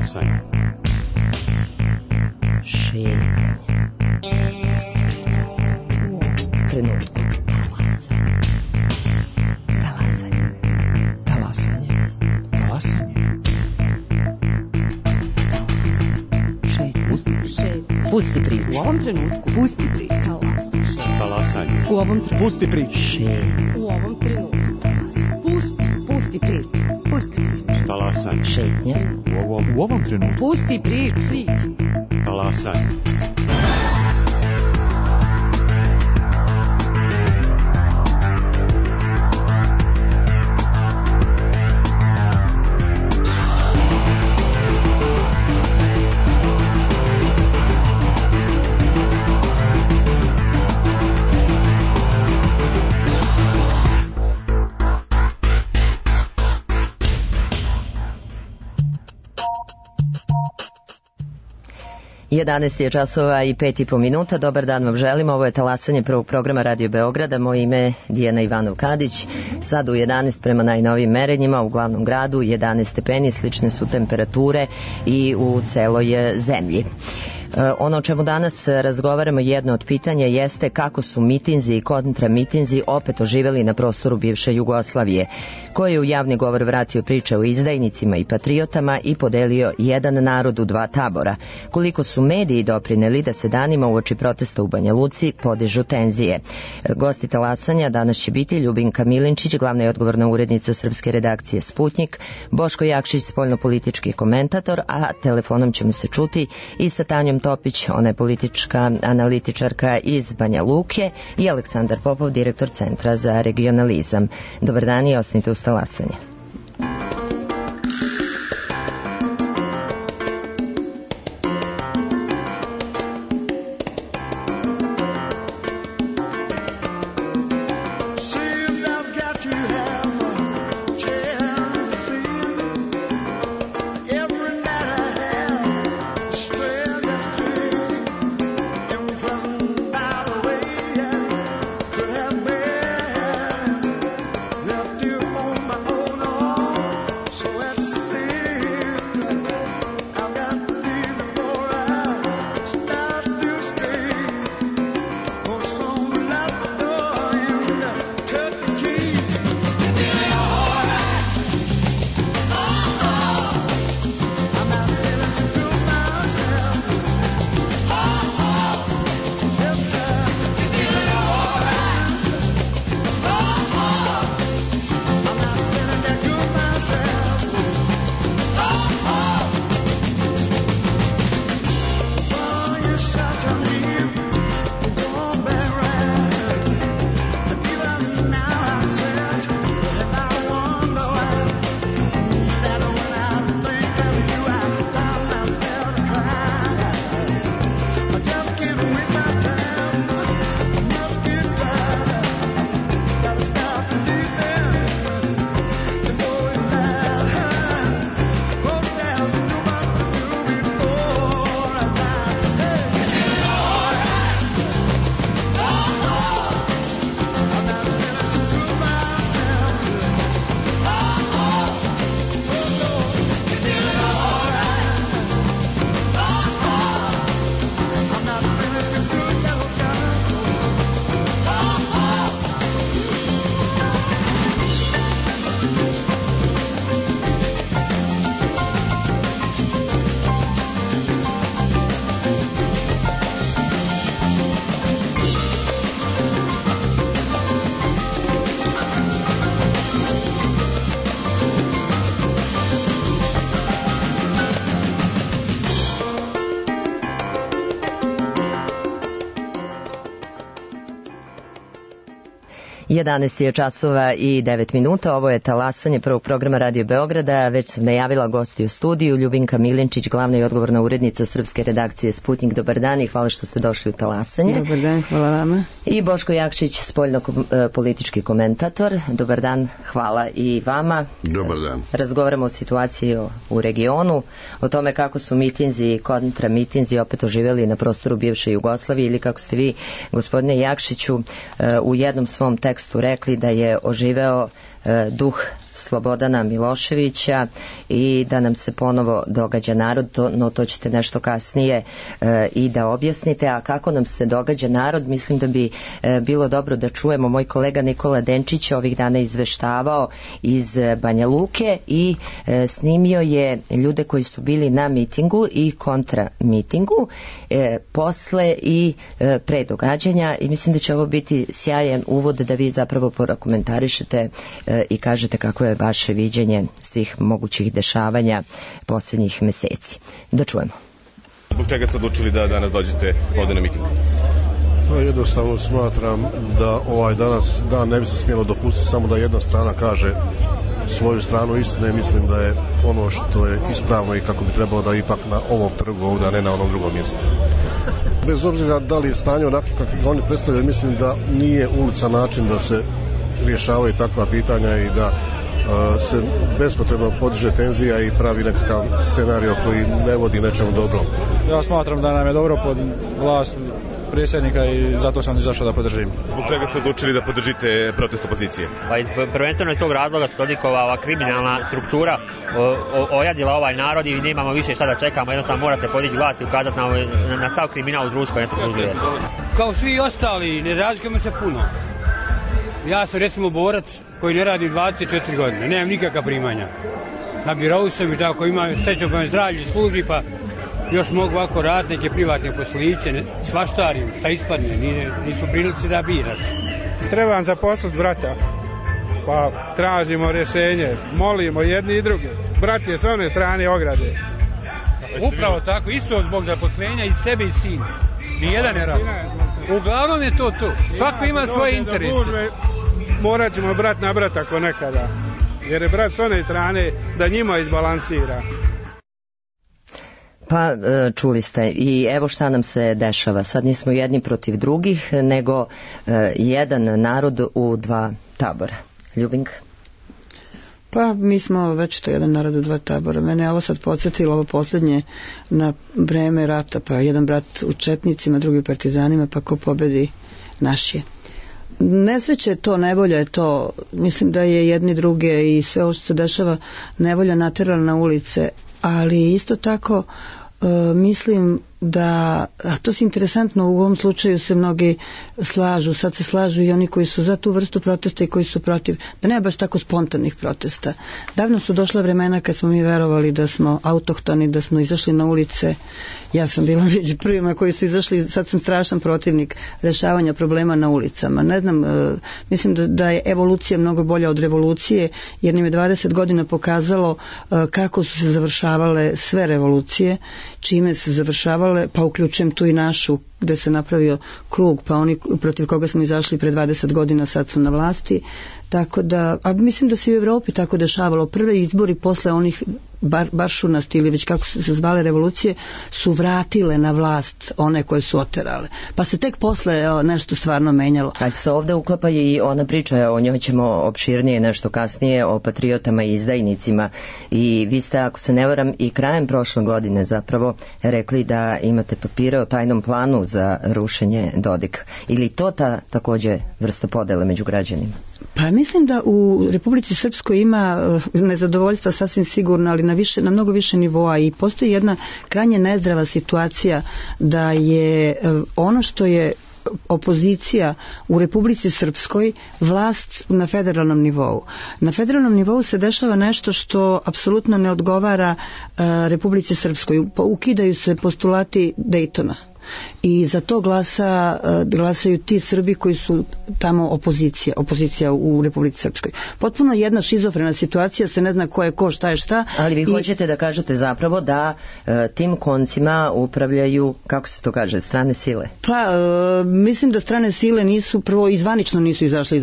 Talasanje. Šetnje. Trenutku. Talasanje. Talasanje. Talasanje. Šetnje. Pusti priču. U ovom trenutku. Pusti priču. Talasanje. U ovom trenutku. Pusti priču. Šetnje. U ovom trenutku. Pusti priču. Pusti priču. Talasanje. Šetnje. U ovom trenutku. Pusti priču. Talasanje. Jedanaest je časova i 5,5 minuta. Dobar dan vam želim. Ovo je talasanje prvog programa Radio Beograda. Moje ime je Dijana Ivanov-Kadić. Sad u 11 prema najnovijim merenjima u glavnom gradu 11 stepeni, slične su temperature i u celoj zemlji. Ono o čemu danas razgovaramo, jedno od pitanja jeste kako su mitinzi i kontramitinzi opet oživeli na prostoru bivše Jugoslavije, koji je u javni govor vratio priče o izdajnicima i patriotama i podelio jedan narod u dva tabora. Koliko su mediji doprineli da se danima uoči protesta u Banja Luci podižu tenzije. Gosti talasanja danas će biti Ljubinka Milinčić, glavna i odgovorna urednica srpske redakcije Sputnik, Boško Jakšić, spoljnopolitički komentator, a telefonom ćemo se čuti i sa Tanjom Topić, ona je politička analitičarka iz Banja Luke, i Aleksandar Popov, direktor Centra za regionalizam. Dobar dan i ostanite uz talasanje. Jedanaest je časova i 9 minuta. Ovo je talasanje prvog programa Radio Beograda. Već sam najavila gosti u studiju. Ljubinka Milinčić, glavna i odgovorna urednica srpske redakcije Sputnik. Dobar dan i hvala što ste došli u talasanje. Dobar dan, hvala vama. I Boško Jakšić, spoljno-politički komentator. Dobar dan, hvala i vama. Dobar dan. Razgovaramo o situaciji u regionu, o tome kako su mitinzi i kontramitinzi opet oživjeli na prostoru bivše Jugoslavije, ili kako ste vi, gospodine Jakšiću, u jednom svom tekstu rekli da je oživeo duh Slobodana Miloševića i da nam se ponovo događa narod, no to ćete nešto kasnije i da objasnite. A kako nam se događa narod, mislim da bi bilo dobro da čujemo. Moj kolega Nikola Denčić ovih dana izveštavao iz Banja Luke i snimio je ljude koji su bili na mitingu i kontra mitingu, posle i pre događanja, i mislim da će ovo biti sjajan uvod da vi zapravo komentarišete i kažete kako je vaše viđenje svih mogućih dešavanja posljednjih meseci. Da čujemo. Zbog čega ste odlučili da danas dođete ovde na miting? Jednostavno smatram da danas dan ne bi se smjelo dopustiti samo da jedna strana kaže svoju stranu istine. Mislim da je ono što je ispravno i kako bi trebalo da ipak na ovom trgu ovdje, a ne na onom drugom mjestu. Bez obzira da li je stanje onako kako ga oni predstavljaju, mislim da nije ulica način da se rješavaju takva pitanja i da se bespotrebno podiže tenzija i pravi nekakav scenario koji ne vodi nečemu dobro. Ja smatram da nam je dobro pod vlast predsjednika i zato sam izašao da podržim. Zbog čega ste odlučili da podržite protest opozicije? Pa prvenstveno je tog razloga što Dodikova ova kriminalna struktura ojadila ovaj narod i nemamo više šta da čekamo, jednostavno mora se podići glas i ukazati na sav kriminal u društvu koje nas okružuje. Kao svi ostali, ne razlikujemo se puno. Ja sam recimo borac koji ne radi 24 godine, nemam nikakva primanja. Na birou sam i tako, imam sreću pa me zdravlje služi, pa još mogu ovako raditi neke privatne posliće, svaštarim, šta ispadne, nisu prilici da biraš. Trebam zaposliti brata, pa tražimo rješenje, molimo jedni i drugi. Brat je s one strane ograde. Upravo tako, isto zbog zaposlenja i sebe i sina. Nijedan ne radi. Uglavnom je to. Svako ima svoje interese. Morat ćemo brat na brata ako nekada. Jer je brat s one strane da njima izbalansira. Pa čuli ste i evo šta nam se dešava. Sad nismo jedni protiv drugih, nego jedan narod u dva tabora. Ljubinka? Pa mi smo već to jedan narod u dva tabora. Mene je ovo sad podsjetilo, ovo posljednje na vreme rata, pa jedan brat u četnicima, drugi u partizanima, pa ko pobedi naš je. Nesreće je to, nevolja je to. Mislim da je jedni druge i sve ovo što se dešava nevolja naterala na ulice, ali isto tako mislim da, a to je interesantno, u ovom slučaju se mnogi slažu, sad se slažu i oni koji su za tu vrstu protesta i koji su protiv, da nema baš tako spontanih protesta. Davno su došla vremena kad smo mi verovali da smo autohtoni, da smo izašli na ulice. Ja sam bila među prvima koji su izašli, sad sam strašan protivnik rešavanja problema na ulicama. Ne znam, mislim da je evolucija mnogo bolja od revolucije, jer nam je 20 godina pokazalo kako su se završavale sve revolucije, čime se završavale, pa uključujem tu i našu, gde se napravio krug, pa oni protiv koga smo izašli pre 20 godina sad su na vlasti. Tako da, a mislim da se i u Evropi tako dešavalo. Prve izbori posle onih baršunasti ili već kako su se zvale revolucije su vratile na vlast one koje su oterale. Pa se tek posle nešto stvarno menjalo. Kad se ovde uklapa i ona priča, o njoj ćemo opširnije nešto kasnije, o patriotama i izdajnicima, i vi ste, ako se ne varam, i krajem prošle godine zapravo rekli da imate papire o tajnom planu za rušenje Dodika. Ili to takođe vrsta podele među građanima? Pa mislim da u Republici Srpskoj ima nezadovoljstva sasvim sigurno, ali na mnogo više nivoa, i postoji jedna krajnje nezdrava situacija da je ono što je opozicija u Republici Srpskoj vlast na federalnom nivou. Na federalnom nivou se dešava nešto što apsolutno ne odgovara Republici Srpskoj. Ukidaju se postulati Dejtona. I za to glasaju ti Srbi koji su tamo opozicija u Republici Srpskoj. Potpuno jedna šizofrena situacija, se ne zna ko je ko, šta je šta. Ali vi hoćete da kažete zapravo da tim koncima upravljaju, kako se to kaže, strane sile? Pa, mislim da strane sile nisu, prvo izvanično nisu izašle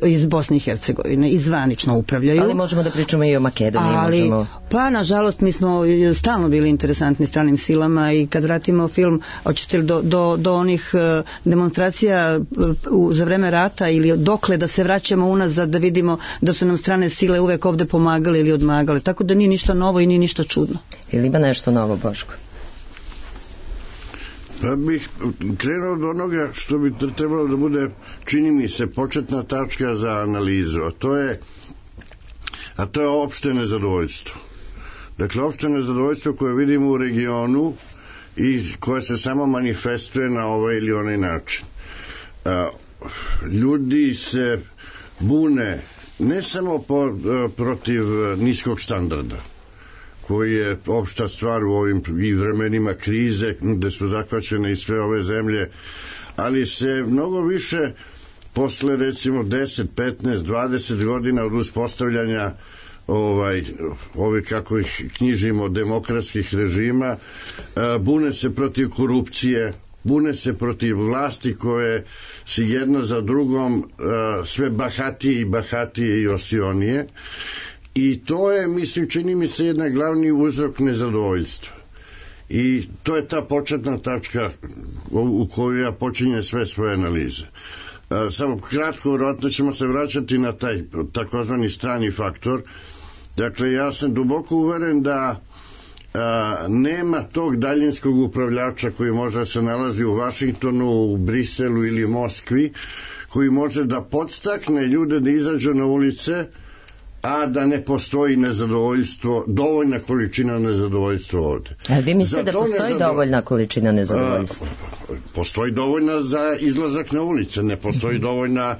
iz Bosne i Hercegovine, izvanično upravljaju. Ali možemo da pričamo i o Makedoniji. Pa, nažalost, mi smo stalno bili interesantni stranim silama, i kad vratimo film, hoćete li do onih demonstracija za vreme rata ili dokle da se vraćamo unazad da vidimo da su nam strane sile uvek ovde pomagale ili odmagale. Tako da nije ništa novo i nije ništa čudno. Ili ima nešto novo, Boško? Pa bih krenuo do onoga što bi trebalo da bude, čini mi se, početna tačka za analizu. A to je a to je opšte nezadovoljstvo. Dakle, opšte nezadovoljstvo koje vidimo u regionu i koje se samo manifestuje na ovaj ili onaj način. Ljudi se bune ne samo protiv niskog standarda, koji je opšta stvar u ovim i vremenima krize gde su zahvaćene i sve ove zemlje, ali se mnogo više posle recimo 10, 15, 20 godina od uspostavljanja ove kako ih knjižimo demokratskih režima, bune se protiv korupcije, bune se protiv vlasti koje su jedna za drugom sve bahatije i osionije, i to je, mislim, čini mi se jedan glavni uzrok nezadovoljstva. I to je ta početna tačka u koju ja počinjem sve svoje analize. Samo kratko, vjerojatno ćemo se vraćati na taj takozvani strani faktor. Dakle, ja sam duboko uveren da nema tog daljinskog upravljača koji možda se nalazi u Vašingtonu, u Briselu ili Moskvi, koji može da podstakne ljude da izađu na ulice, a da ne postoji nezadovoljstvo, dovoljna količina nezadovoljstva ovde. A vi mislite da postoji dovoljna količina nezadovoljstva? Postoji dovoljna za izlazak na ulice, ne postoji dovoljna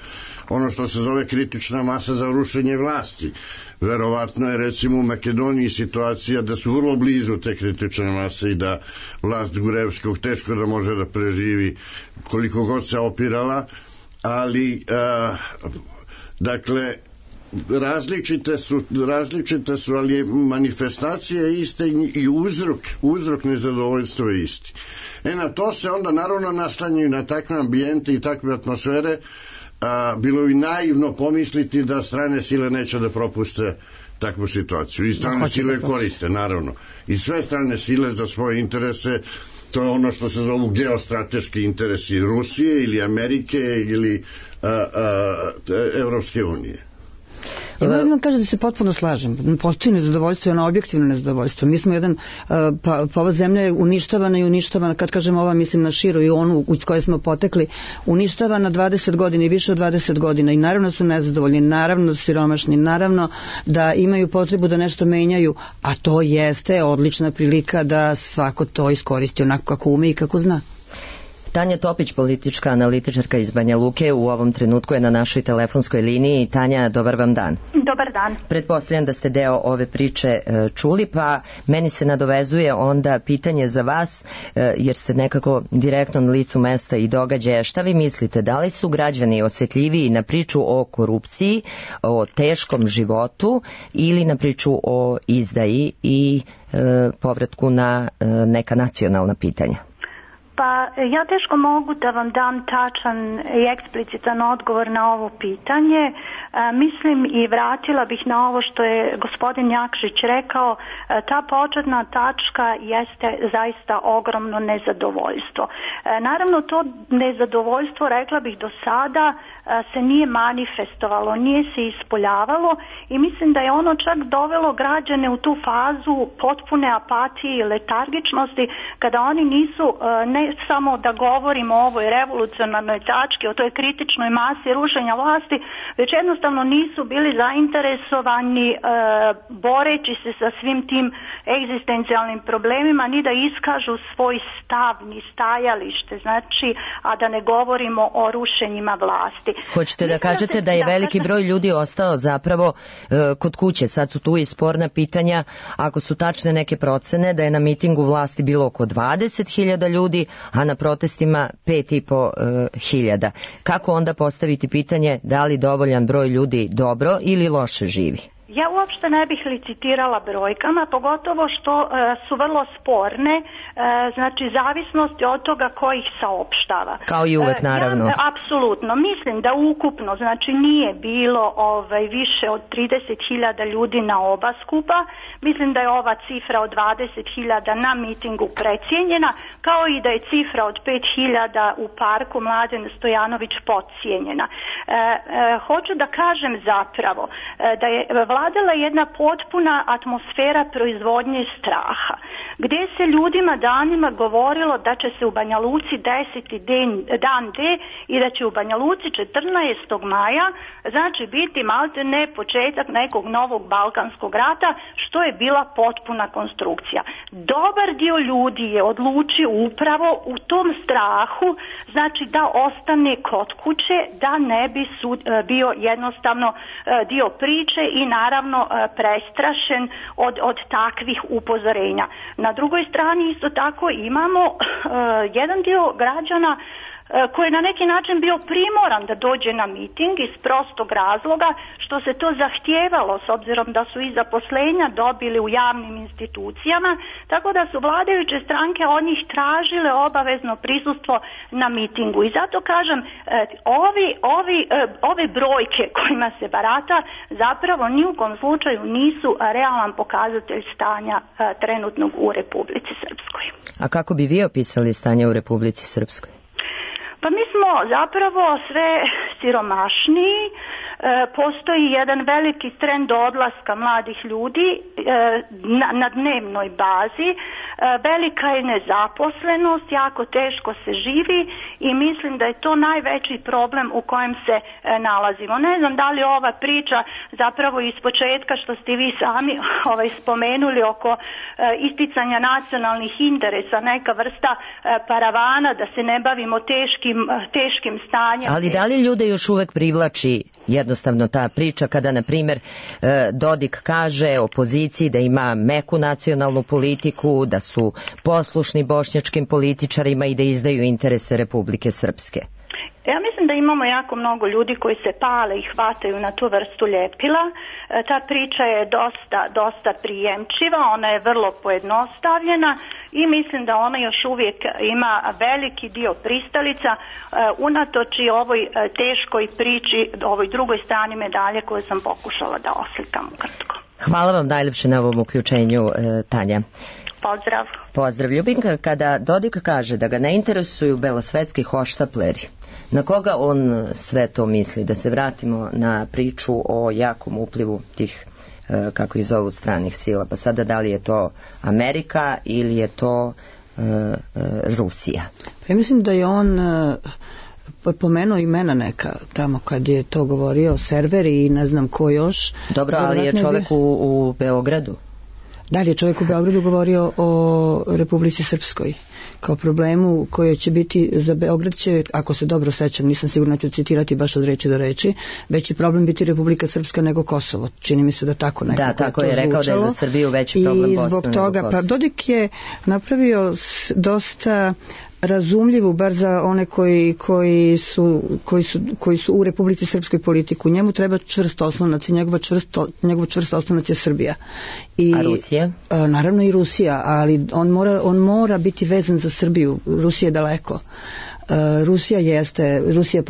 ono što se zove kritična masa za rušenje vlasti. Verovatno je recimo u Makedoniji situacija da su vrlo blizu te kritične mase i da vlast Gurevskog teško da može da preživi koliko god se opirala, ali dakle različite su, ali manifestacija je ista i uzrok nezadovoljstva je isti. Na to se onda naravno naslanjaju na takve ambijente i takve atmosfere. Bilo je naivno pomisliti da strane sile neće da propuste takvu situaciju. I strane sile koriste, naravno. I sve strane sile za svoje interese, to je ono što se zovu geostrateški interesi Rusije ili Amerike ili Evropske unije. Ja moram vam kažem da se potpuno slažem. Postoji nezadovoljstvo i ono objektivno nezadovoljstvo. Mi smo pa ova zemlja je uništavana, kad kažem ova mislim na širu i onu iz koje smo potekli, uništavana 20 godina i više od 20 godina i naravno su nezadovoljni, naravno su siromašni, naravno da imaju potrebu da nešto menjaju, a to jeste odlična prilika da svako to iskoristi onako kako ume i kako zna. Tanja Topić, politička analitičarka iz Banja Luke, u ovom trenutku je na našoj telefonskoj liniji. Tanja, dobar vam dan. Dobar dan. Pretpostavljam da ste deo ove priče čuli, pa meni se nadovezuje onda pitanje za vas, jer ste nekako direktno na licu mesta i događaja. Šta vi mislite, da li su građani osjetljiviji na priču o korupciji, o teškom životu ili na priču o izdaji i povratku na neka nacionalna pitanja? Pa ja teško mogu da vam dam tačan i eksplicitan odgovor na ovo pitanje. Mislim i vratila bih na ovo što je gospodin Jakšić rekao, ta početna tačka jeste zaista ogromno nezadovoljstvo. Naravno to nezadovoljstvo, rekla bih do sada, se nije manifestovalo, nije se ispoljavalo i mislim da je ono čak dovelo građane u tu fazu potpune apatije i letargičnosti kada oni nisu, ne samo da govorimo o ovoj revolucionarnoj tački, o toj kritičnoj masi rušenja vlasti, već jednostavno nisu bili zainteresovani boreći se sa svim tim egzistencijalnim problemima ni da iskažu svoj stav ni stajalište, znači, a da ne govorimo o rušenjima vlasti. Hoćete da kažete da je veliki broj ljudi ostao zapravo kod kuće, sad su tu i sporna pitanja, ako su tačne neke procene da je na mitingu vlasti bilo oko 20.000 ljudi, a na protestima 5.500. Kako onda postaviti pitanje da li dovoljan broj ljudi dobro ili loše živi? Ja uopšte ne bih licitirala brojkama, pogotovo što su vrlo sporne, znači zavisnosti od toga ko ih saopštava. Kao i uvek, naravno. Apsolutno. Mislim da ukupno, znači nije bilo više od 30.000 ljudi na oba skupa. Mislim da je ova cifra od 20.000 na mitingu precijenjena, kao i da je cifra od 5.000 u parku Mladen Stojanović podcijenjena. Hoću da kažem zapravo da je vladala jedna potpuna atmosfera proizvodnje straha. gdje se ljudima danima govorilo da će se u Banja Luci desiti dan D i da će u Banja Luci 14. maja znači biti maltene početak nekog novog balkanskog rata, što je bila potpuna konstrukcija. Dobar dio ljudi je odlučio upravo u tom strahu, znači da ostane kod kuće, da ne bi bio jednostavno dio priče i naravno prestrašen od takvih upozorenja. Na drugoj strani isto tako imamo jedan dio građana koji je na neki način bio primoran da dođe na miting iz prostog razloga što se to zahtijevalo s obzirom da su i zaposlenja dobili u javnim institucijama, tako da su vladajuće stranke od njih tražile obavezno prisustvo na mitingu. I zato kažem, ove brojke kojima se barata zapravo ni u kom slučaju nisu realan pokazatelj stanja trenutnog u Republici Srpskoj. A kako bi vi opisali stanje u Republici Srpskoj? Pa mi smo zapravo sve siromašniji, postoji jedan veliki trend odlaska mladih ljudi na dnevnoj bazi, velika je nezaposlenost, jako teško se živi i mislim da je to najveći problem u kojem se nalazimo. Ne znam da li ova priča zapravo iz početka što ste vi sami spomenuli oko isticanja nacionalnih interesa, neka vrsta paravana da se ne bavimo teškim stanjem. Ali da li ljude još uvek privlači jednostavno ta priča kada, na primjer, Dodik kaže opoziciji da ima meku nacionalnu politiku, da su poslušni bošnjačkim političarima i da izdaju interese Republike Srpske? Ja mislim da imamo jako mnogo ljudi koji se pale i hvataju na tu vrstu ljepila. Ta priča je dosta prijemčiva, ona je vrlo pojednostavljena i mislim da ona još uvijek ima veliki dio pristalica unatoč i ovoj teškoj priči, ovoj drugoj strani medalje koju sam pokušala da oslikam ukratko. Hvala vam najljepše na ovom uključenju, Tanja. Pozdrav. Pozdrav. Ljubinka, kada Dodik kaže da ga ne interesuju belosvetski hoštapleri, na koga on sve to misli? Da se vratimo na priču o jakom uplivu tih, kako ih zovu, stranih sila. Pa sada da li je to Amerika ili je to Rusija? Pa ja mislim da je on pomenuo imena neka tamo kad je to govorio, serveri i ne znam ko još. Dobro, ali je čovjek u Beogradu. Da li je čovjek u Beogradu govorio o Republici Srpskoj kao problemu koji će biti za Beograd će, ako se dobro sećam, nisam sigurna, ću citirati baš od reči do reči, veći problem biti Republika Srpska nego Kosovo. Čini mi se da tako nekako da, tako je rekao zvučalo. Da je za Srbiju veći problem Bosna nego Kosovo. I zbog toga, pa Dodik je napravio dosta razumljivu, bar za one koji su u Republici Srpskoj politiku. Njemu treba čvrst oslonac i njegov čvrst oslonac je Srbija. A Rusija? Naravno i Rusija, ali on mora biti vezan za Srbiju. Rusija je daleko. Rusija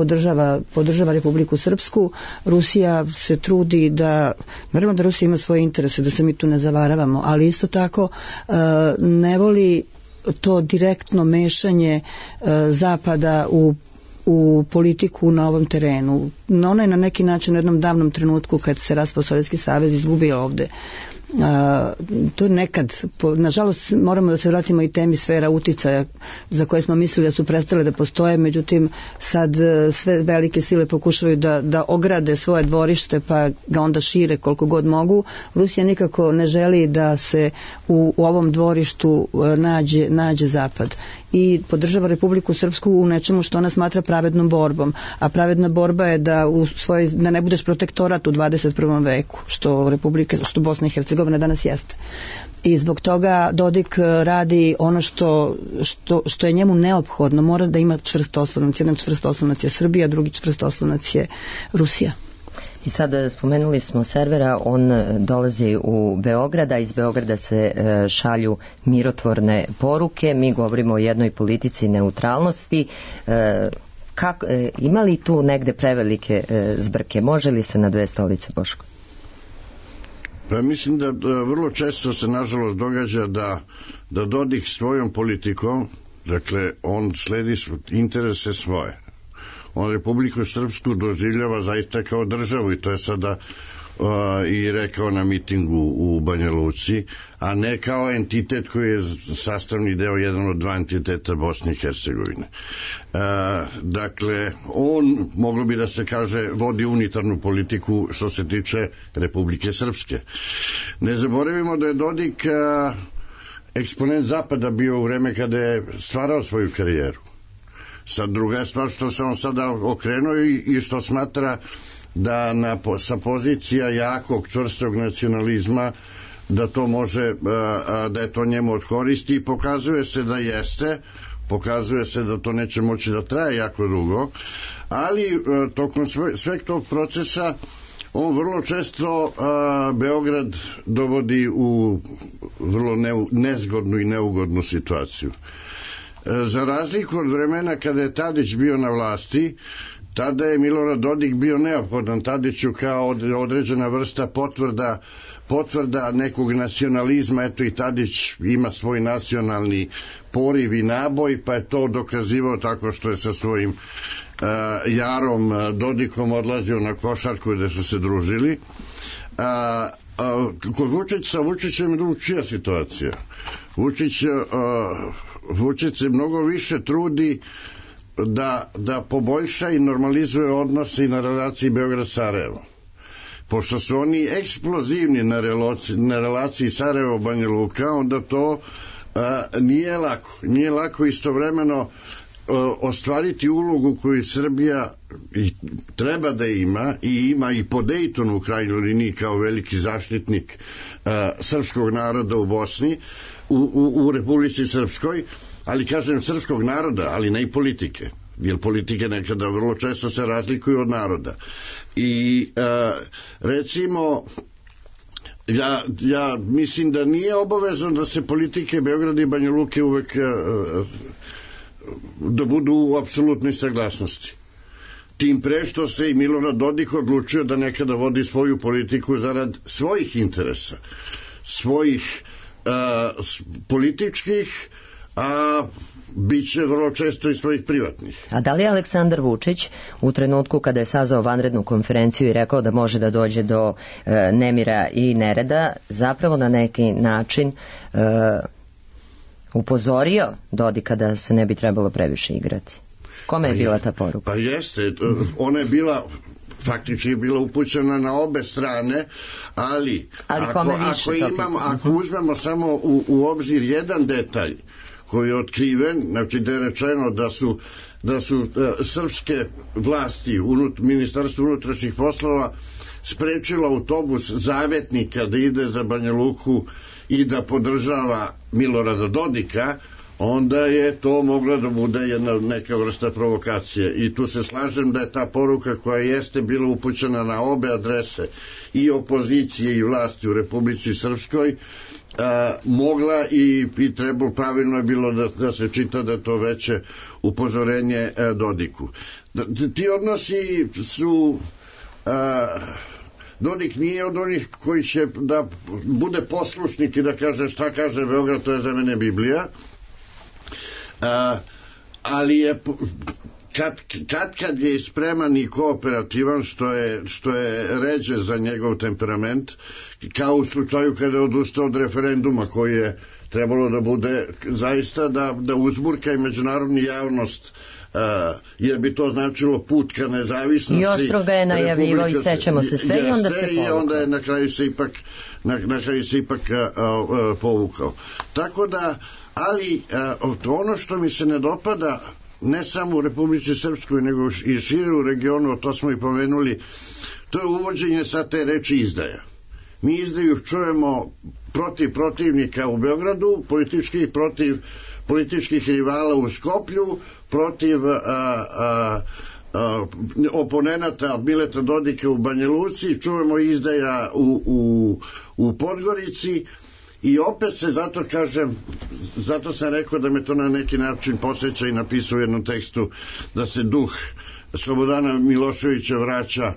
podržava Republiku Srpsku, Rusija se trudi da, naravno da Rusija ima svoje interese, da se mi tu ne zavaravamo, ali isto tako ne voli to direktno mešanje Zapada u politiku na ovom terenu. Ona je na neki način u jednom davnom trenutku kad se raspao Sovjetski savez izgubio ovde. To nekad, nažalost moramo da se vratimo i temi sfera uticaja za koje smo mislili da su prestale da postoje, međutim sad sve velike sile pokušavaju da ograde svoje dvorište pa ga onda šire koliko god mogu. Rusija nikako ne želi da se u ovom dvorištu nađe Zapad i podržava Republiku Srpsku u nečemu što ona smatra pravednom borbom, a pravedna borba je da ne budeš protektorat u 21. veku, što Bosna i Hercegovina danas jeste. I zbog toga Dodik radi ono što je njemu neophodno, mora da ima čvrst oslonac. Jedan čvrst oslonac je Srbija, drugi čvrst oslonac je Rusija. I sada spomenuli smo servera, on dolazi u Beograd, a iz Beograda se šalju mirotvorne poruke. Mi govorimo o jednoj politici neutralnosti. Ima li tu negde prevelike zbrke? Može li se na dve stolice, Boško? Pa mislim da vrlo često se nažalost događa da Dodik svojom politikom, dakle on sledi interese svoje. On Republiku Srpsku doživljava zaista kao državu i to je sada i rekao na mitingu u Banja Luci, a ne kao entitet koji je sastavni deo, jedan od dva entiteta Bosne i Hercegovine. Dakle, on, moglo bi da se kaže, vodi unitarnu politiku što se tiče Republike Srpske. Ne zaboravimo da je Dodik eksponent Zapada bio u vreme kada je stvarao svoju karijeru. Sad druga je stvar što se on sada okrenuo i što smatra da sa pozicija jakog, čvrstog nacionalizma da to može, da je to njemu od koristi i pokazuje se da jeste, pokazuje se da to neće moći da traje jako dugo, ali tokom sveg tog procesa on vrlo često Beograd dovodi u vrlo nezgodnu i neugodnu situaciju. Za razliku od vremena kada je Tadić bio na vlasti, tada je Milorad Dodik bio neophodan Tadiću kao određena vrsta potvrda nekog nacionalizma. Eto, i Tadić ima svoj nacionalni poriv i naboj, pa je to dokazivao tako što je sa svojim Jarom Dodikom odlazio na košarku gde su se družili. Kod Vučića, Vučićem je drugčija situacija. Vučić se mnogo više trudi da poboljša i normalizuje odnose i na relaciji Beograd-Sarajevo. Pošto su oni eksplozivni na relaciji Sarajevo-Banja Luka, onda to nije lako. Nije lako istovremeno ostvariti ulogu koju Srbija treba da ima i ima i po Dejtonu u krajnjoj liniji kao veliki zaštitnik srpskog naroda u Bosni, u Republici Srpskoj, ali kažem srpskog naroda, ali ne i politike, jer politike nekada vrlo često se razlikuju od naroda. I recimo ja mislim da nije obavezno da se politike Beograda i Banja Luke uvek da budu u apsolutnoj saglasnosti. Tim pre što se i Milorad Dodik odlučio da nekada vodi svoju politiku zarad svojih interesa, svojih političkih, a bit će vrlo često i svojih privatnih. A da li je Aleksandar Vučić u trenutku kada je sazvao vanrednu konferenciju i rekao da može da dođe do nemira i nereda, zapravo na neki način upozorio Dodika da se ne bi trebalo previše igrati? Kome je bila ta poruka? Pa jeste, ona je bila faktički je bila upućena na obe strane, ali ako uzmemo samo u obzir jedan detalj koji je otkriven, znači da je rečeno da su srpske vlasti, Ministarstvo unutrašnjih poslova sprečilo autobus Zavetnika da ide za Banja Luku i da podržava Milorada Dodika, onda je to mogla da bude neka vrsta provokacije. I tu se slažem da je ta poruka koja jeste bila upućena na obe adrese, i opozicije i vlasti u Republici Srpskoj, mogla i trebalo, pravilno je bilo da se čita da je to veće upozorenje Dodiku. Ti odnosi su... Dodik nije od onih koji će da bude poslušnik i da kaže šta kaže Beograd, to je za mene Biblija, ali je kad je spreman i kooperativan, što je ređe za njegov temperament, kao u slučaju kada je odustao od referenduma koji je trebalo da bude zaista da uzburka i međunarodnu javnost, jer bi to značilo put ka nezavisnosti. I oštro ga je najavivao i sećamo se sve i onda se povukao. I onda je na kraju se ipak povukao. Tako da, ali ono što mi se ne dopada, ne samo u Republici Srpskoj, nego i šire u regionu, to smo i pomenuli, to je uvođenje sa te reči izdaja. Mi izdaju čujemo protiv protivnika u Beogradu, protiv političkih rivala u Skoplju, protiv oponenata Mileta Dodika u Banja Luci, čujemo izdaja u Podgorici, i opet se zato sam rekao da me to na neki način posjeća i napisao u jednom tekstu da se duh Slobodana Miloševića vraća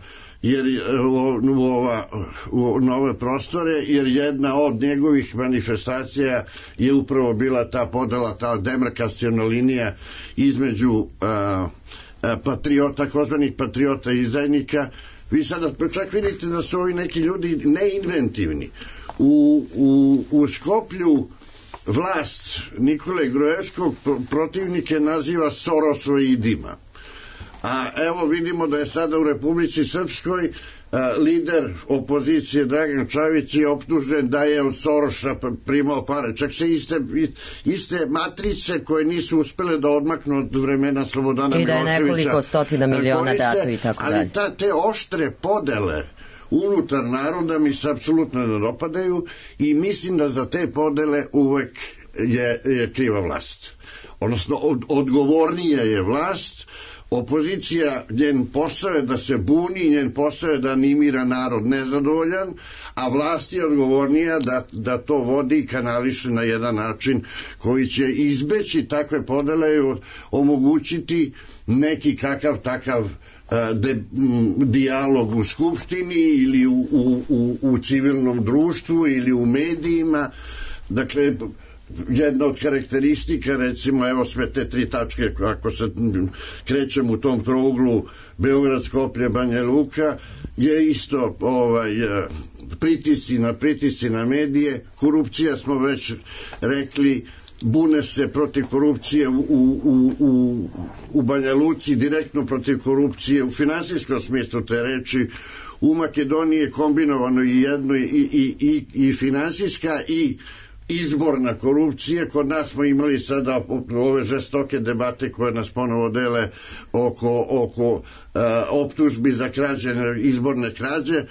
u nove prostore, jer jedna od njegovih manifestacija je upravo bila ta podela, ta demarkaciona linija između takozvanih patriota i izdajnika, Vi sada čak vidite da su ovi neki ljudi neinventivni. U Skoplju vlast Nikole Gruevskog protivnike naziva Sorosoidima. A evo vidimo da je sada u Republici Srpskoj lider opozicije Dragan Čavić je optužen da je od Soroša primao pare. Čak se iste matrice koje nisu uspele da odmaknu od vremena Slobodana Miloševića. I da je nekoliko stotina miliona dato i tako dalje. Ali te oštre podele unutar naroda mi se apsolutno ne dopadaju i mislim da za te podele uvek je kriva vlast. Odnosno, odgovornija je vlast. Opozicija, njen posao je da se buni, njen posao je da animira narod nezadovoljan, a vlast je odgovornija da to vodi i kanališe na jedan način koji će izbeći takve podele i omogućiti neki kakav takav dijalog u skupštini ili u civilnom društvu ili u medijima. Dakle, jedna od karakteristika, recimo, evo sve te 3 tačke, ako se krećem u tom trouglu Beograd, Skoplje, Banja Luka, je isto pritisci na medije, korupcija smo već rekli, bune se protiv korupcije u Banja Luci, direktno protiv korupcije u finansijskom smislu te reči. U Makedoniji je kombinovano i jedno i finansijska i izborna korupcija. Kod nas smo imali sada ove žestoke debate koje nas ponovo dele oko optužbi za izborne krađe.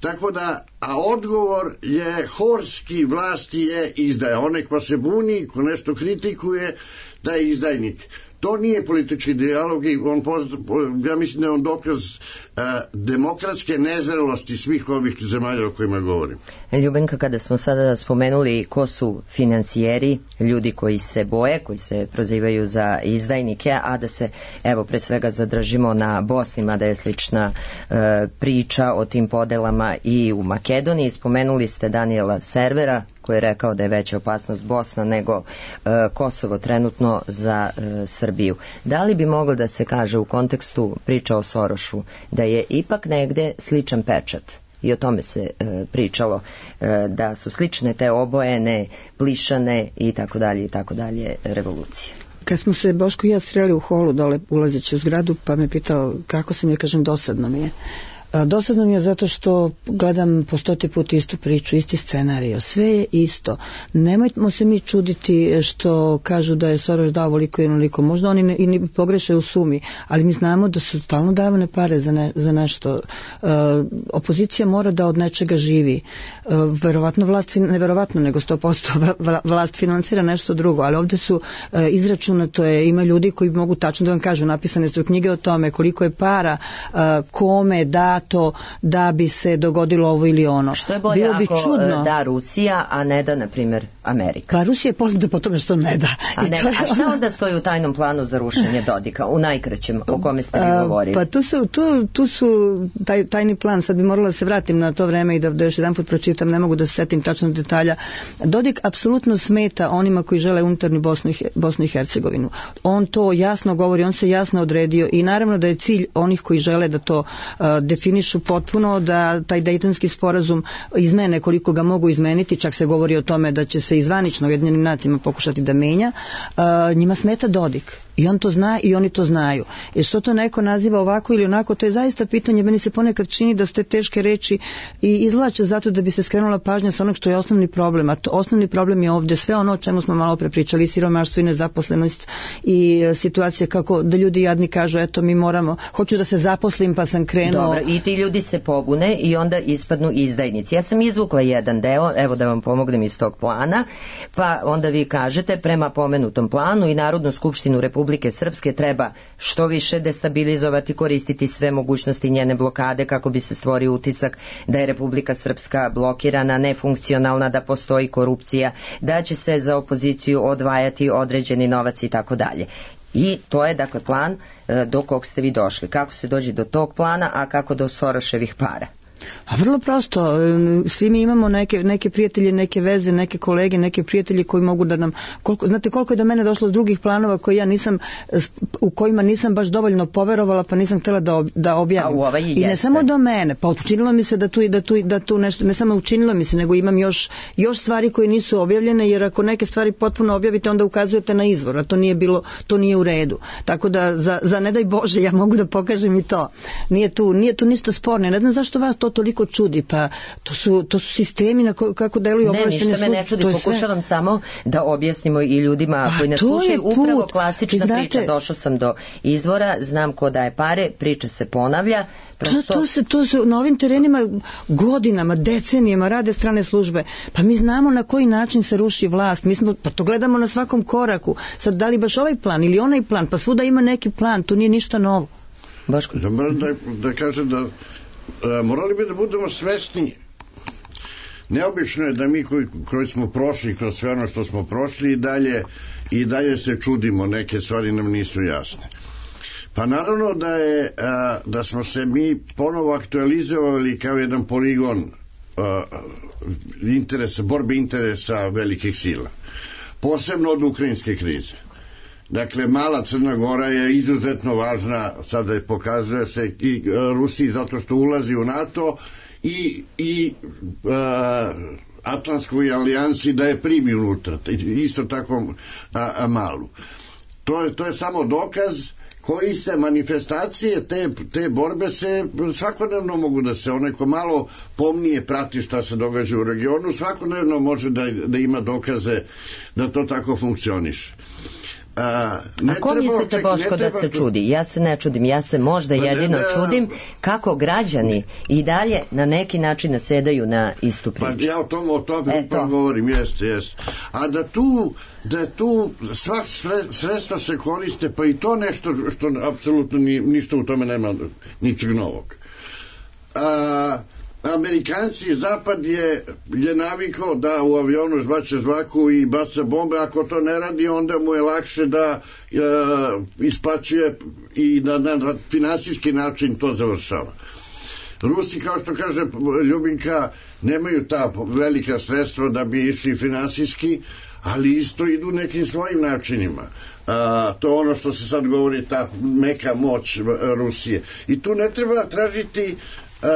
Tako da, a odgovor je horski, vlasti je izdaja. Onaj ko se buni, ko nešto kritikuje, da je izdajnik. To nije politički dijalog i ja mislim da je on dokaz demokratske nezrelosti svih ovih zemalja o kojima govorim. Ljubenka, kada smo sada spomenuli ko su financijeri, ljudi koji se boje, koji se prozivaju za izdajnike, a da se, evo, pre svega zadržimo na Bosni, mada je slična priča o tim podelama i u Makedoniji. Spomenuli ste Daniela Servera, koji je rekao da je veća opasnost Bosna nego Kosovo trenutno za Srbiju. Da li bi moglo da se kaže u kontekstu priča o Sorošu da je ipak negde sličan pečat? I o tome se pričalo, da su slične te obojene, plišane i tako dalje revolucije. Kad smo se Boško i ja sreli u holu dole ulazeći u zgradu, pa me pitao kako sam, ja kažem dosadno mi je. Dosadno mi je zato što gledam po 100. put istu priču, isti scenario, sve je isto. Nemojmo se mi čuditi što kažu da je Soroš dao voliko i onoliko, možda oni i pogreše u sumi, ali mi znamo da su stalno davane pare za nešto. Opozicija mora da od nečega živi. Verovatno vlast, neverovatno, nego 100% vlast financira nešto drugo, ali ovde su izračunato je, ima ljudi koji mogu tačno da vam kažu, napisane su knjige o tome koliko je para, kome dato da bi se dogodilo ovo ili ono. Što je bolje ako da Rusija, a ne da, na primjer, Amerika? Pa Rusija je poznata po tome što ne da. A šta onda stoji u tajnom planu za rušenje Dodika, u najkraćem, o kome ste vi govorili? Pa tu su tajni plan, sad bi morala da se vratim na to vreme i da još jedan put pročitam, ne mogu da se setim tačno detalja. Dodik apsolutno smeta onima koji žele unutarnju Bosnu i Hercegovinu. On to jasno govori, on se jasno odredio i naravno da je cilj onih koji žele da to definišu potpuno, da taj Dejtonski sporazum izmene koliko ga mogu izmeniti, čak se govori o tome da će se izvanično Ujedinjenim nacijama pokušati da menja, njima smeta Dodik. I on to zna i oni to znaju. Jer što to neko naziva ovako ili onako, to je zaista pitanje, meni se ponekad čini da su te teške reči i izvlače zato da bi se skrenula pažnja sa onog što je osnovni problem. A osnovni problem je ovde sve ono o čemu smo malo pre pričali, siromaštvo i nezaposlenost i situacija kako da ljudi jadni kažu, eto mi moramo, hoću da se zaposlim pa sam krenuo. Dobro, i ti ljudi se pobune i onda ispadnu izdajnici. Ja sam izvukla jedan deo, evo da vam pomognem iz tog plana, pa onda vi kažete prema pomenutom planu i Narodnu skupštinu Republike Srpske treba što više destabilizovati, koristiti sve mogućnosti njene blokade kako bi se stvorio utisak da je Republika Srpska blokirana, nefunkcionalna, da postoji korupcija, da će se za opoziciju odvajati određeni novac i tako dalje. I to je dakle plan do kog ste vi došli. Kako se dođe do tog plana, a kako do Soroševih para? A vrlo prosto, svi mi imamo neke prijatelje, neke veze, neke kolege, neke prijatelje koji mogu da nam, znate koliko je do mene došlo drugih planova u kojima nisam baš dovoljno poverovala, pa nisam htjela da objavim. I ne samo do mene, pa učinilo mi se da tu nešto, ne samo učinilo mi se, nego imam još stvari koje nisu objavljene, jer ako neke stvari potpuno objavite, onda ukazujete na izvor, a to nije u redu. Tako da, za ne daj Bože, ja mogu da pokažem i to. Nije tu ništa sporno. Ne znam zašto vas to toliko čudi, pa to su sistemi kako deluju obaveštene službe. Ne, ništa me ne čudi, pokušavam samo da objasnimo i ljudima koji ne slušaju upravo klasična priča. Došao sam do izvora, znam ko daje pare, priča se ponavlja. To se na ovim terenima godinama, decenijama rade strane službe. Pa mi znamo na koji način se ruši vlast. Pa to gledamo na svakom koraku. Sad, da li baš ovaj plan ili onaj plan, pa svuda ima neki plan, to nije ništa novo. Boško? Da kažem da morali bi da budemo svesni. Neobično je da mi koji smo prošli kroz sve ono što smo prošli i dalje se čudimo, neke stvari nam nisu jasne. Pa naravno da smo se mi ponovo aktualizovali kao jedan poligon borbe interesa velikih sila. Posebno od ukrajinske krize. Dakle, mala Crna Gora je izuzetno važna, sada je pokazuje se i Rusiji zato što ulazi u NATO i Atlantskoj alijansi da je primi unutra, isto tako malu. To je samo dokaz koji se manifestacije te borbe se svakodnevno mogu da se onaj ko malo pomnije prati šta se događa u regionu, svakodnevno može da ima dokaze da to tako funkcioniše. A ko mislite, Boško, da se čudi? Ja se ne čudim, ja se možda jedino čudim kako građani i dalje na neki način nasedaju na istu priču. Pa ja o tome upravo govorim, jeste. A da tu svak sredstva se koriste, pa i to nešto što apsolutno ništa u tome nema ničeg novog. Amerikanci, Zapad je navikao da u avionu zbače žvaku i baca bombe, ako to ne radi, onda mu je lakše da isplaćuje i da na finansijski način to završava. Rusi, kao što kaže Ljubinka, nemaju ta velika sredstva da bi išli finansijski, ali isto idu nekim svojim načinima. To je ono što se sad govori, ta meka moć Rusije. I tu ne treba tražiti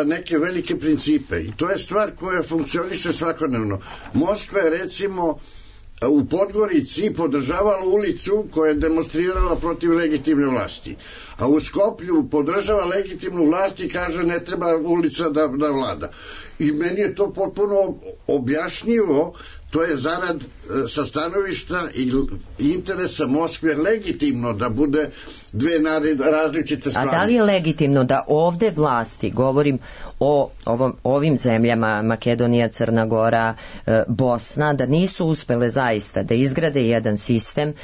neke velike principe i to je stvar koja funkcioniše svakodnevno. Moskva je recimo u Podgorici podržavala ulicu koja je demonstrirala protiv legitimne vlasti, a u Skoplju podržava legitimnu vlast i kaže ne treba ulica da vlada. I meni je to potpuno objašnjivo. To je zarad sa stanovišta i interesa Moskve legitimno da bude dve različite stvari. A da li je legitimno da ovde vlasti, govorim o ovim zemljama, Makedonija, Crna Gora, Bosna, da nisu uspele zaista da izgrade jedan sistem,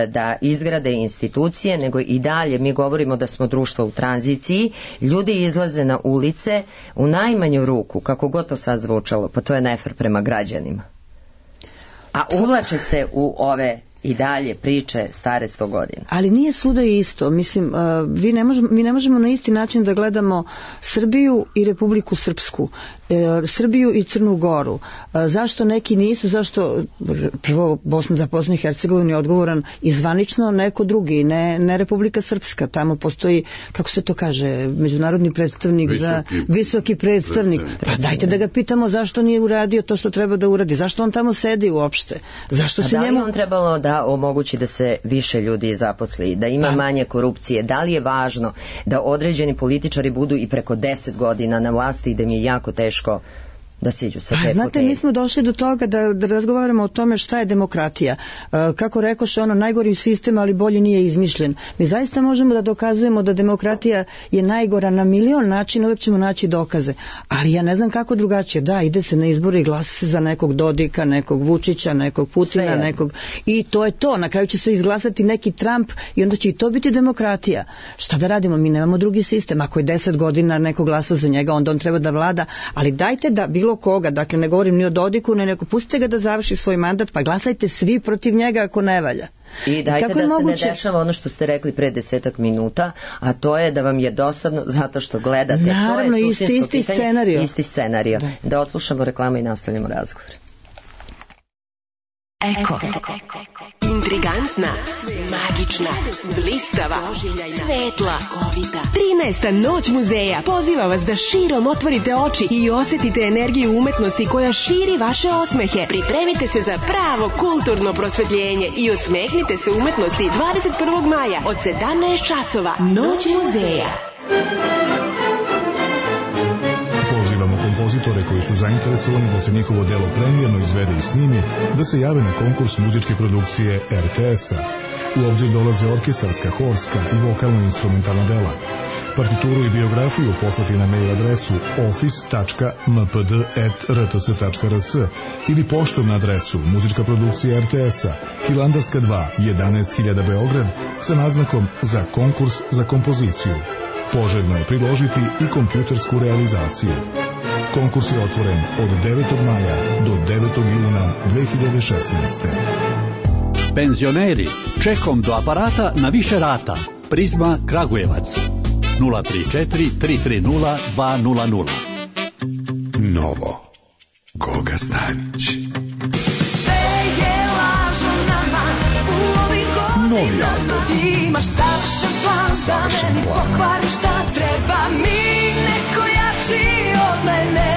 da izgrade institucije, nego i dalje mi govorimo da smo društvo u tranziciji, ljudi izlaze na ulice u najmanju ruku, kako god to sad zvučalo, pa to je nefer prema građanima. A uvlače se u ove i dalje priče stare 100 godina. Ali nije svuda isto. Mislim, mi ne možemo na isti način da gledamo Srbiju i Republiku Srpsku, Srbiju i Crnu Goru. Zašto neki nisu, zašto prvo za Bosnu i Hercegovinu je odgovoran i zvanično neko drugi, ne Republika Srpska. Tamo postoji, kako se to kaže, međunarodni predstavnik, visoki predstavnik. Pa dajte da ga pitamo zašto nije uradio to što treba da uradi. Zašto on tamo sedi uopšte? Zašto se njemu... Da li on trebalo da omogući da se više ljudi zaposli, da ima manje korupcije? Da li je važno da određeni političari budu i preko 10 godina na vlasti i da mi je jako teško da siđu sa te fotelje? Znate, mi smo došli do toga da razgovaramo o tome šta je demokratija. Kako rekoše, najgori sistem, ali bolje nije izmišljen. Mi zaista možemo da dokazujemo da demokratija je najgora na milion načina, uvijek ćemo naći dokaze. Ali ja ne znam kako drugačije. Da, ide se na izbore i glasa se za nekog Dodika, nekog Vučića, nekog Putina, nekog... I to je to. Na kraju će se izglasati neki Trump i onda će i to biti demokratija. Šta da radimo? Mi nemamo drugi sistem. Ako je 10 godina neko glasa za njega, onda on treba da vlada. Ali dajte da bilo koga, dakle ne govorim ni o Dodiku, nego pustite ga da završi svoj mandat, pa glasajte svi protiv njega ako ne valja. I dajte da se ne dešava ono što ste rekli pre 10 minuta, a to je da vam je dosadno zato što gledate. Naravno, to je isti scenario. Isti scenario. Da odslušamo reklamu i nastavljamo razgovor. Eko. Intrigantna, magična, blistava, svetla, 13. noć muzeja poziva vas da širom otvorite oči i osjetite energiju umetnosti koja širi vaše osmehe. Pripremite se za pravo kulturno prosvetljenje i osmehnite se umetnosti 21. maja od 17 časova. Noć muzeja. Pozivamo kompozitore koji su zainteresovani da se njihovo delo premijerno izvede i snimi, da se jave na konkurs muzičke produkcije RTS-a. U obzir dolaze orkestarska, horska i vokalno-instrumentalna dela. Partituru i biografiju poslati na mail adresu office.mpd@rts.rs ili poštom na adresu muzička produkcija RTS-a, Hilandarska 2, 11.000 Beograd, sa naznakom za konkurs za kompoziciju. Poželjno je priložiti i kompjutersku realizaciju. Konkurs je otvoren od 9. maja do 9. juna 2016. Penzioneri, čekom do aparata na više rata. Prizma Kragujevac. 034 330 200. Novo. Goga Stanić. Novi album. Imaš savršen plan, da meni pokvariš šta treba mi, neko jači od mene.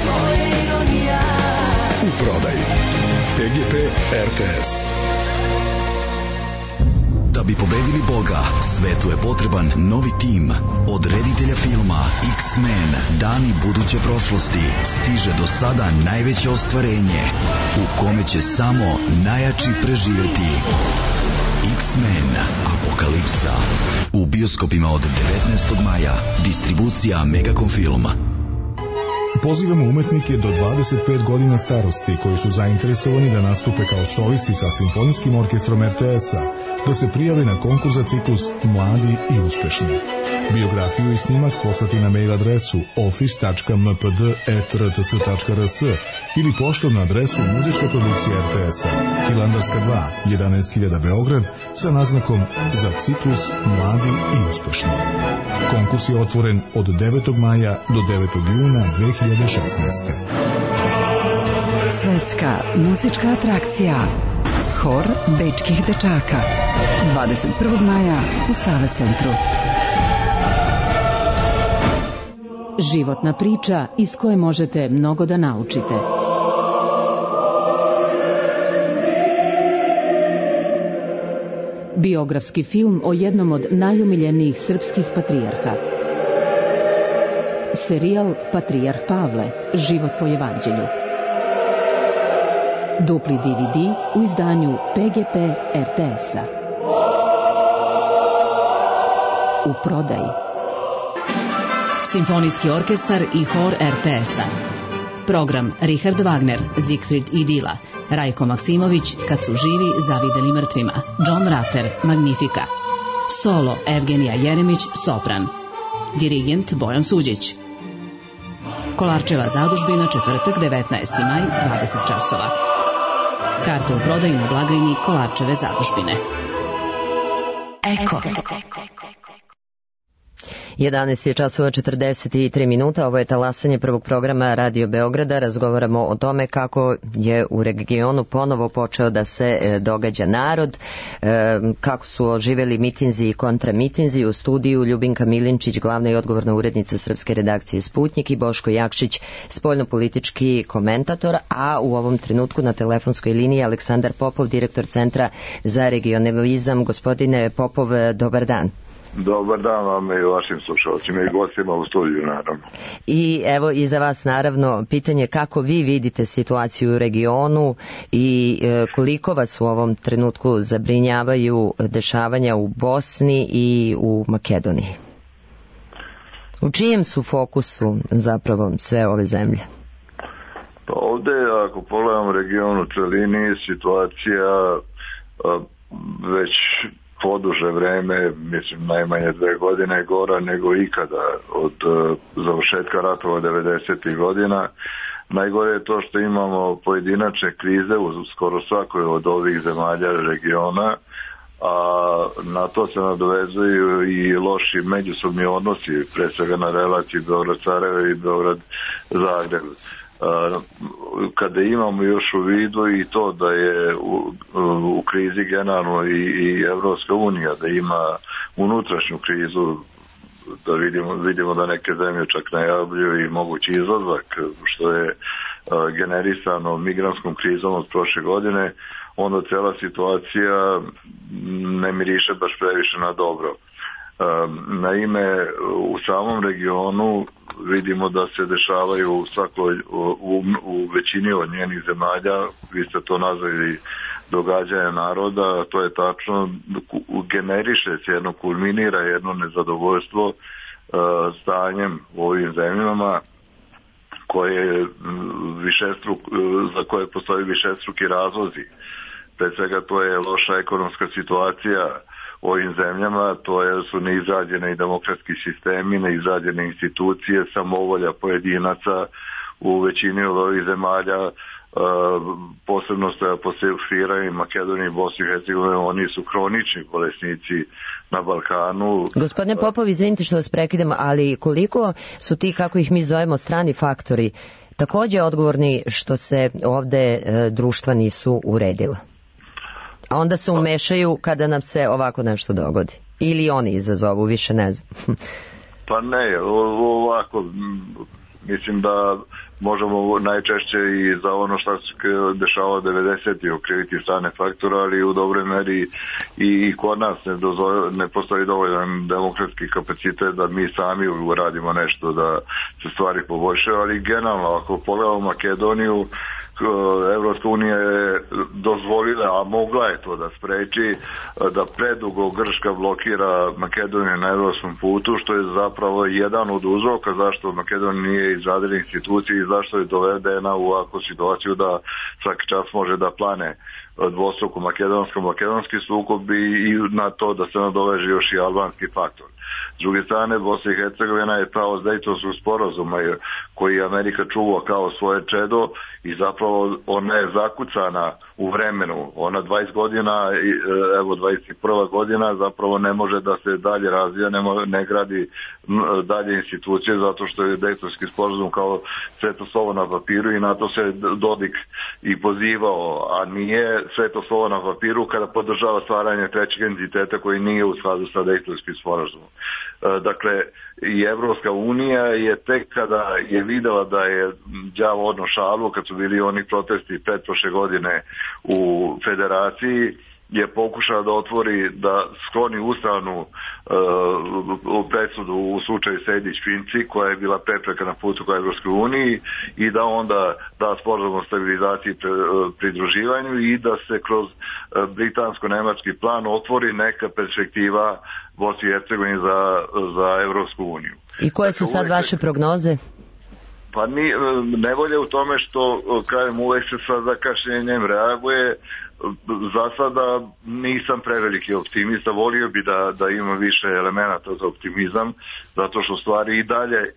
To je ironija. U prodaji PGP RTS. Da bi pobedili Boga, svetu je potreban novi tim. Od reditelja filma X-Men, dani buduće prošlosti, stiže do sada najveće ostvarenje, u kome će samo najjači preživjeti. X-Men Apokalipsa. U bioskopima od 19. maja. Distribucija Megacom Film. Pozivamo umetnike do 25 godina starosti koji su zainteresovani da nastupe kao solisti sa simfonijskim orkestrom RTS-a, da se prijave na konkurs za ciklus Mladi i uspešni. Biografiju i snimak poslati na mail adresu office.mpd@rts.rs ili poštom na adresu muzička produkcija RTS-a, Hilandarska 2, 11.000 Beograd, sa naznakom za ciklus Mladi i uspešni. Konkurs je otvoren od 9. maja do 9. juna 2016. Svetska muzička atrakcija Hor bečkih dečaka 21. maja u Save centru. Životna priča iz koje možete mnogo da naučite. Biografski film o jednom od najomiljenijih srpskih patrijarha. Serijal Patrijarh Pavle, život po evanđelju. Dupli DVD u izdanju PGP RTS-a. U prodaji. Simfonijski orkestar i hor RTS-a. Program Richard Wagner, Siegfried i Dila, Rajko Maksimović, Kad su živi zavideli mrtvima, John Ratter, Magnifica. Solo Evgenija Jeremić, sopran. Dirigent Bojan Suđić. Kolarčeva zadužbina, četvrtak, 19. maj, 20 časova. Karte u prodaju na blagajni Kolarčeve zadužbine. Eko. 11 je časova 43 minuta, ovo je talasanje prvog programa Radio Beograda. Razgovaramo o tome kako je u regionu ponovo počeo da se događa narod, kako su oživeli mitinzi i kontramitinzi. U studiju Ljubinka Milinčić, glavna i odgovorna urednica srpske redakcije Sputnjik, i Boško Jakšić, spoljnopolitički komentator, a u ovom trenutku na telefonskoj liniji Aleksandar Popov, direktor Centra za regionalizam. Gospodine Popov, dobar dan. Dobar dan vam i vašim slušalcima i gostima u studiju, naravno. I evo i za vas naravno pitanje kako vi vidite situaciju u regionu i koliko vas u ovom trenutku zabrinjavaju dešavanja u Bosni i u Makedoniji? U čijem su fokusu zapravo sve ove zemlje? Pa ovde, ako pogledamo region u celini, situacija već poduže vreme, mislim najmanje 2 godine, gora nego ikada od završetka ratova 90. godina. Najgore je to što imamo pojedinačne krize u skoro svakoj od ovih zemalja regiona, a na to se nadovezuju i loši međusobni odnosi, pre svega na relaciji Beograd-Sarajevo i Beograd-Zagreb. Kada imamo još u vidu i to da je u krizi generalno i Evropska unija, da ima unutrašnju krizu, da vidimo da neke zemlje čak najavljuju i mogući izlazak, što je generisano migrantskom krizom od prošle godine, onda cela situacija ne miriše baš previše na dobro. Naime, u samom regionu vidimo da se dešavaju u većini od njenih zemalja, vi ste to nazvali događaja naroda, to je tačno, generiše se jedno, kulminira jedno nezadovoljstvo stanjem u ovim zemljama za koje postoji višestruki razlozi. Pre svega to je loša ekonomska situacija u ovim zemljama, su neizrađene i demokratski sistemi, neizrađene institucije, samovolja pojedinaca u većini od ovih zemalja, posebno se apostrofiraju Makedoniji i Bosni i Hercegovini, oni su hronični bolesnici na Balkanu. Gospodine Popov, izvinite što vas prekidam, ali koliko su ti, kako ih mi zovemo, strani faktori takođe odgovorni što se ovde društva nisu uredila? A onda se umešaju kada nam se ovako nešto dogodi. Ili oni izazovu, više ne znam. Pa ne, ovako, mislim da možemo najčešće i za ono što se dešava 90. okriviti strane faktora, ali u dobroj meri i kod nas ne postoji dovoljan demokratski kapacitet da mi sami uradimo nešto da se stvari poboljšaju, ali generalno ako pogledamo Makedoniju, Evropska unija je dozvolila, a mogla je to da spreči, da predugo Grčka blokira Makedoniju na evropskom putu, što je zapravo jedan od uzroka zašto Makedonija nije izradila institucije i zašto je dovedena u ovakvu situaciju da svaki čas može da plane dvostruko makedonski sukob i na to da se nadoveže još i albanski faktor. S druge strane, Bosna i Hercegovina je pravo Dejtonskog sporazuma koji Amerika čuva kao svoje čedo i zapravo ona je zakucana u vremenu. Ona 20 godina, evo 21. godina zapravo ne može da se dalje razvija, ne gradi dalje institucije zato što je Dejtonski sporazum kao sveto slovo na papiru i na to se Dodik i pozivao, a nije sveto slovo na papiru kada podržava stvaranje trećeg entiteta koji nije u skladu sa Dejtonskim sporazumom. Dakle, i Evropska unija je tek kada je videla da je đavo odno šalu, kad su bili oni protesti pretprošle godine u federaciji, je pokušala da otvori, da skloni ustavnu presudu u slučaju Sejdić-Finci, koja je bila prepreka na putu ka Evropskoj uniji, i da onda da sporazum o stabilizaciji i pridruživanju i da se kroz britansko-nemački plan otvori neka perspektiva Bosni i Hercegovini za Evropsku uniju. I koje su sad vaše prognoze? Pa nevolje u tome što, kažem, uvek se sa zakašnjenjem reaguje. Za sada nisam preveliki optimista, volio bi da ima više elemenata za optimizam, zato što stvari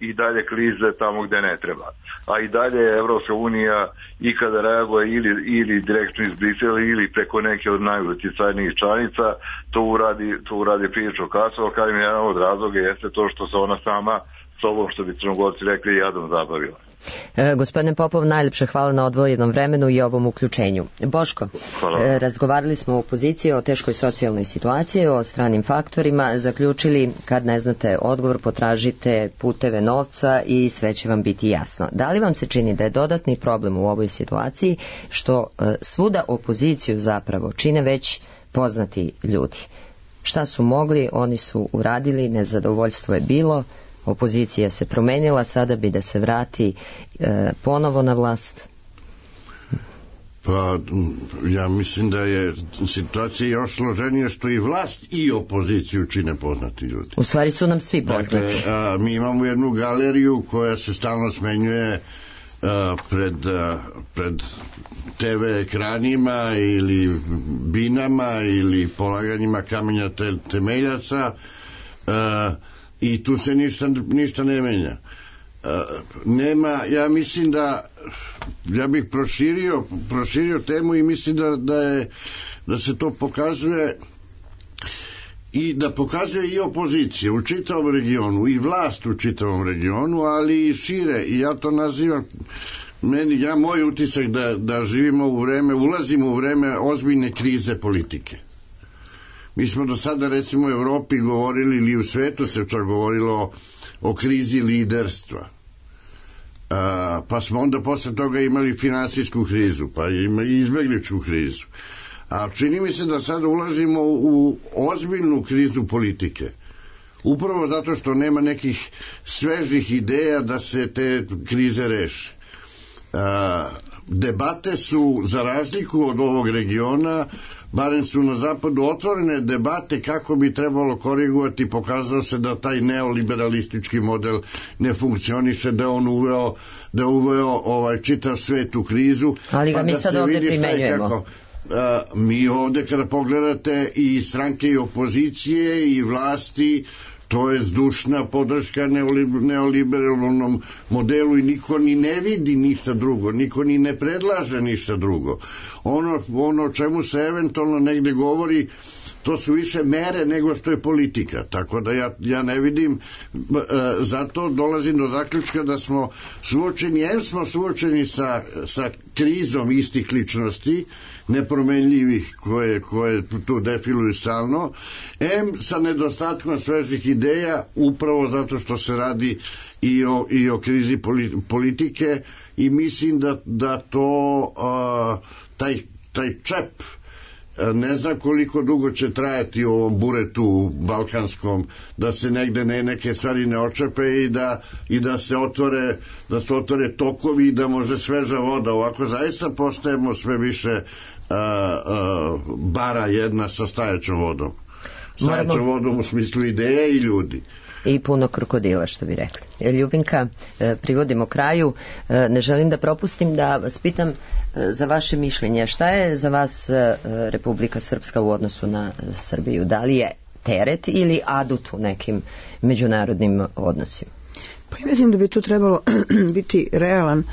i dalje klize tamo gde ne treba. A i dalje Evropska unija i kada reaguje ili direktno iz Brisela ili preko neke od najuticajnijih članica, to uradi prilično kasno, ali kažem, jedan od razloga jeste to što se ona sama sobom, što bi Crnogorci rekli, jadom zabavila. Gospodine Popov, najljepše hvala na odvojenom vremenu i ovom uključenju. Boško, razgovarali smo o opoziciji, o teškoj socijalnoj situaciji, o stranim faktorima, zaključili kad ne znate odgovor, potražite puteve novca i sve će vam biti jasno. Da li vam se čini da je dodatni problem u ovoj situaciji što svuda opoziciju zapravo čine već poznati ljudi? Šta su mogli, oni su uradili, nezadovoljstvo je bilo, opozicija se promenila, sada bi da se vrati ponovo na vlast? Pa ja mislim da je situacija još složenija što i vlast i opoziciju čine poznati ljudi. U stvari su nam svi poznati. Dakle, mi imamo jednu galeriju koja se stalno smenjuje pred TV ekranima ili binama ili polaganjima kamenja temeljaca, i tu se ništa ne menja. nema, ja mislim ja bih proširio temu i mislim da se to pokazuje i da pokazuje i opozicija u čitavom regionu i vlast u čitavom regionu, ali i šire, i ja to nazivam moj utisak da živimo ulazimo u vreme ozbiljne krize politike. Mi smo do sada recimo u Evropi govorili, ili u svetu se čak govorilo o krizi liderstva, pa smo onda posle toga imali finansijsku krizu, pa i izbegličku krizu, a čini mi se da sada ulazimo u ozbiljnu krizu politike, upravo zato što nema nekih svežih ideja da se te krize reše. Debate su, za razliku od ovog regiona, barem su na zapadu otvorene debate kako bi trebalo korigovati. Pokazalo se da taj neoliberalistički model ne funkcioniše, da on uveo čitav svet u krizu. Ali ga mi sad ovdje primenjujemo. Mi ovdje kada pogledate i stranke i opozicije i vlasti, to je zdušna podrška neoliberalnom modelu i niko ni ne vidi ništa drugo, niko ni ne predlaže ništa drugo. Ono o čemu se eventualno negde govori, to su više mere nego što je politika, tako da ja ne vidim, zato dolazim do zaključka da smo suočeni sa krizom istih ličnosti, nepromenljivih koje tu defiluju stalno, sa nedostatkom svežih ideja, upravo zato što se radi i o krizi politike, i mislim da to taj čep ne znam koliko dugo će trajati u ovom buretu balkanskom, da se negde neke stvari ne očepe i da se otvore tokovi i da može sveža voda. Ovako zaista postajemo sve više bara jedna sa stajaćom vodom. Stajaćom vodom u smislu ideje i ljudi. I puno krokodila, što bi rekli. Ljubinka, privodimo kraju. Ne želim da propustim da vas pitam za vaše mišljenje. Šta je za vas Republika Srpska u odnosu na Srbiju? Da li je teret ili adut u nekim međunarodnim odnosima? Pa ja mislim da bi tu trebalo biti realan.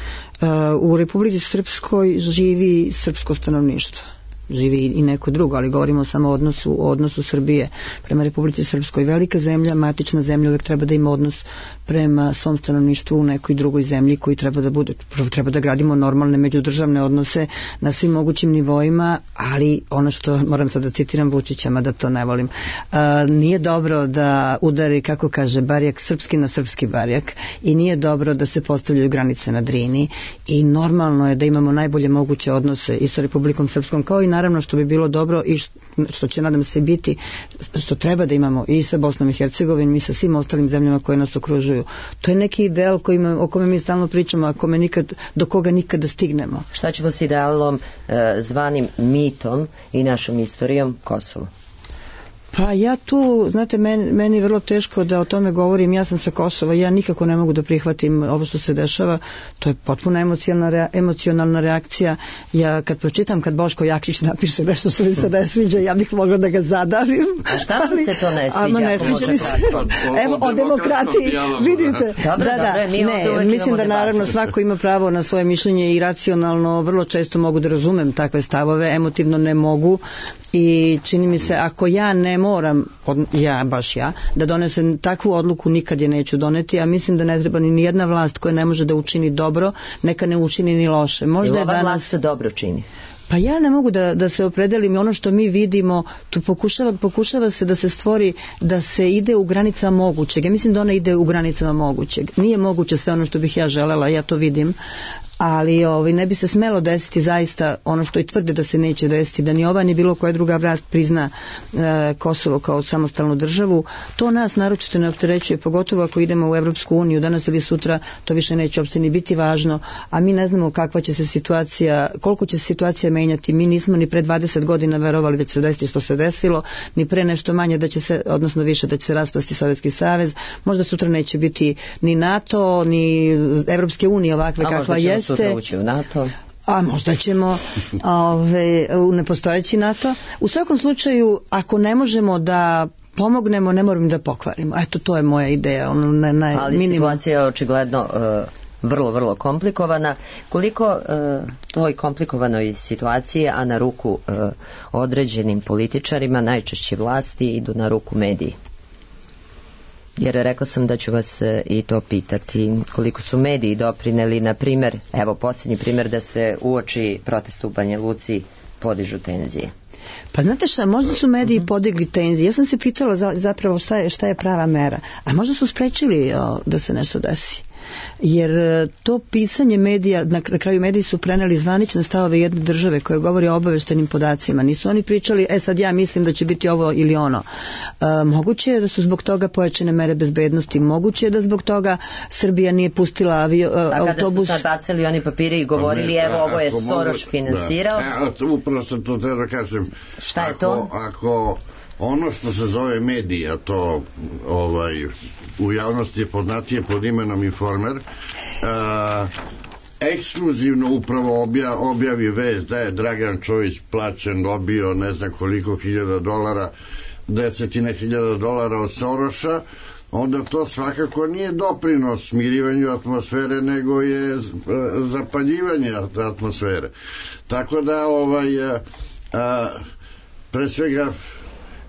U Republici Srpskoj živi srpsko stanovništvo. Živi i neko drugo, ali govorimo samo o odnosu Srbije prema Republici Srpskoj. Velika zemlja, matična zemlja, uvek treba da ima odnos prema svom stanovništvu u nekoj drugoj zemlji koji treba da bude. Prvo treba da gradimo normalne međudržavne odnose na svim mogućim nivoima, ali ono što, moram sad da citiram Vučića, mada to ne volim, nije dobro da udari, kako kaže, barjak srpski na srpski barjak, i nije dobro da se postavljaju granice na Drini, i normalno je da imamo najbolje moguće odnose i sa Republikom Srpskom, kao i naravno što bi bilo dobro i što će, nadam se, biti, što treba da imamo i sa Bosnom i Hercegovinom i sa svim ostalim zemljama koje nas okružuju. To je neki ideal o kome mi stalno pričamo, a do koga nikada stignemo. Šta ćemo s idealom zvanim mitom i našom istorijom Kosovo? Pa ja tu, znate, meni je vrlo teško da o tome govorim. Ja sam sa Kosova, ja nikako ne mogu da prihvatim ovo što se dešava. To je potpuno emocionalna reakcija. Ja kad pročitam, kad Boško Jakšić napiše nešto što mi se ne sviđa, ja bih mogla da ga zadavim. A šta vam se to ne sviđa? Ne sviđa mi se. Evo, o demokratiji, vidite. Mislim da naravno svako ima pravo na svoje mišljenje i racionalno vrlo često mogu da razumem takve stavove, emotivno ne mogu, i čini mi se, ako ja ne moram, da donesem takvu odluku, nikad je neću doneti, a mislim da ne treba ni jedna vlast koja ne može da učini dobro, neka ne učini ni loše. Možda je danas vlast se dobro čini. Pa ja ne mogu da se opredelim, i ono što mi vidimo, tu pokušava se da se stvori, da se ide u granicama mogućeg. Ja mislim da ona ide u granicama mogućeg. Nije moguće sve ono što bih ja želela, ja to vidim, ali ne bi se smelo desiti zaista ono što i tvrde da se neće desiti, da ni ova ni bilo koja druga vlast prizna Kosovo kao samostalnu državu. To nas naročito ne opterećuje, pogotovo ako idemo u Evropsku uniju danas ili sutra, to više neće uopšte ni biti važno, a mi ne znamo kakva će se situacija, koliko će se situacija menjati. Mi nismo ni pre 20 godina verovali da će se desiti što se desilo, ni pre nešto manje da će se, odnosno više, da će se raspasti Sovjetski savez. Možda sutra neće biti ni NATO, ni Evropske unije ovakve kakva je. Ući u NATO. A možda ćemo u nepostojeći NATO. U svakom slučaju, ako ne možemo da pomognemo, ne moramo da pokvarimo. Eto, to je moja ideja. Ali situacija je očigledno vrlo, vrlo komplikovana. Koliko toj komplikovanoj situaciji, a na ruku određenim političarima, najčešće vlasti, idu na ruku mediji? Jer rekla sam da ću vas i to pitati. Koliko su mediji doprineli, na primjer, evo posljednji primjer, da se uoči protest u Banja Luci podižu tenzije? Pa znate šta, možda su mediji podigli tenzije. Ja sam se pitala zapravo šta je prava mera. A možda su sprečili da se nešto desi. Jer to pisanje medija, na kraju mediji su preneli zvanične stavove jedne države koje govori o obaveštenim podacima. Nisu oni pričali, sad ja mislim da će biti ovo ili ono. Moguće je da su zbog toga pojačane mere bezbednosti. Moguće je da zbog toga Srbija nije pustila autobus. A kada su sad bacili oni papire i govorili, evo ovo je Soroš finansirao. Upravo sam to treba kažem. Šta je to? Ako ono što se zove medija, to u javnosti je poznatije pod imenom Informer, ekskluzivno upravo objavi vest da je Dragan Čović plaćen, dobio ne znam koliko $1000, $10.000 od Soroša, onda to svakako nije doprinos smirivanju atmosfere, nego je zapaljivanje atmosfere. Tako da pre svega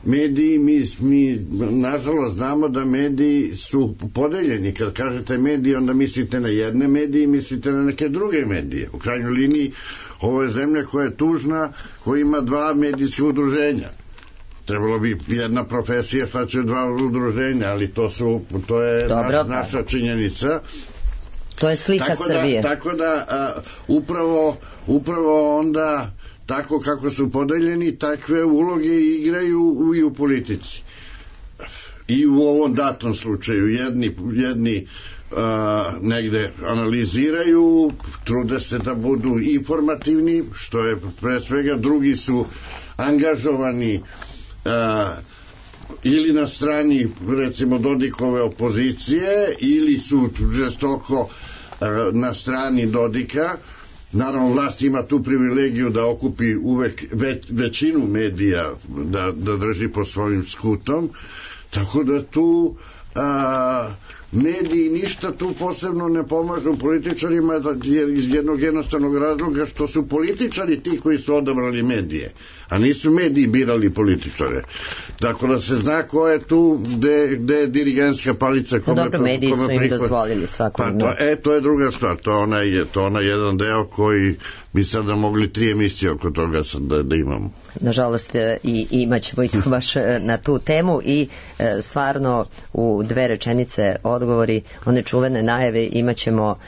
mediji, mi nažalost znamo da mediji su podeljeni. Kad kažete mediji, onda mislite na jedne medije i mislite na neke druge medije. U krajnjoj liniji, ovo je zemlja koja je tužna, koja ima 2 medijske udruženja. Trebalo bi jedna profesija, šta će 2 udruženja, ali to je naša činjenica. To je slika Srbije. Tako da upravo onda tako kako su podeljeni, takve uloge igraju i u politici. I u ovom datom slučaju jedni negde analiziraju, trude se da budu informativni, što je pre svega, drugi su angažovani ili na strani, recimo, Dodikove opozicije, ili su žestoko na strani Dodika. Naravno, vlast ima tu privilegiju da okupi uvek većinu medija, da drži po svojim skutom, tako da tu mediji ništa tu posebno ne pomažu političarima, jer iz jednog jednostavnog razloga što su političari ti koji su odabrali medije, a nisu mediji birali političare. Tako da se zna ko je tu, gde je dirigentska palica kome dobro, mediji su im dozvolili svakodnevno. To je druga stvar, to je onaj jedan deo koji bi sada mogli 3 emisije oko toga da imamo. Nažalost, i imat ćemo i to baš na tu temu i stvarno u 2 rečenice odgovori, one čuvene najave, imat ćemo